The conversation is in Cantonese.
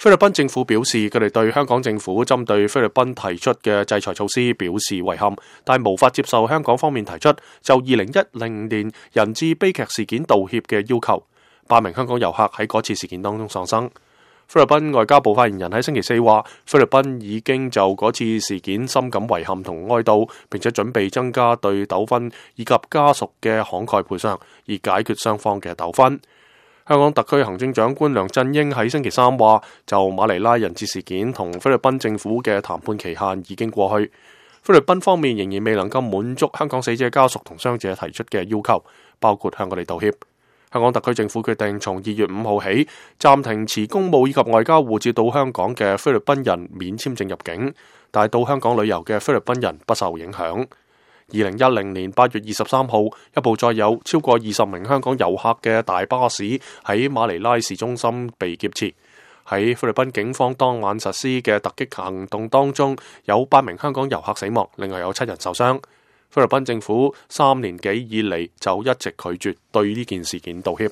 菲律賓政府表示，佢哋對香港政府針對菲律賓提出嘅制裁措施表示遺憾，但無法接受香港方面提出就2010年人質悲劇事件道歉嘅要求。8名香港遊客喺嗰次事件當中喪生。菲律賓外交部發言人喺星期四話，菲律賓已經就嗰次事件深感遺憾同哀悼，並且準備增加對糾紛以及家屬嘅慷慨賠償，以解決雙方嘅糾紛。香港特區行政長官梁振英喺星期三話，就馬尼拉人質事件同菲律賓政府嘅談判期限已經過去，菲律賓方面仍然未能夠滿足香港死者家屬同傷者提出嘅要求，包括向我哋道歉。香港特區政府決定從2月5號起暫停持公務以及外交護照到香港嘅菲律賓人免簽證入境，但係到香港旅遊嘅菲律賓人不受影響。2010年8月23號，一部載有超過20名香港遊客嘅大巴士喺馬尼拉市中心被劫持。喺菲律賓警方當晚實施嘅突擊行動當中，有8名香港遊客死亡，另外有7人受傷。菲律賓政府3年幾以嚟就一直拒絕對呢件事件道歉。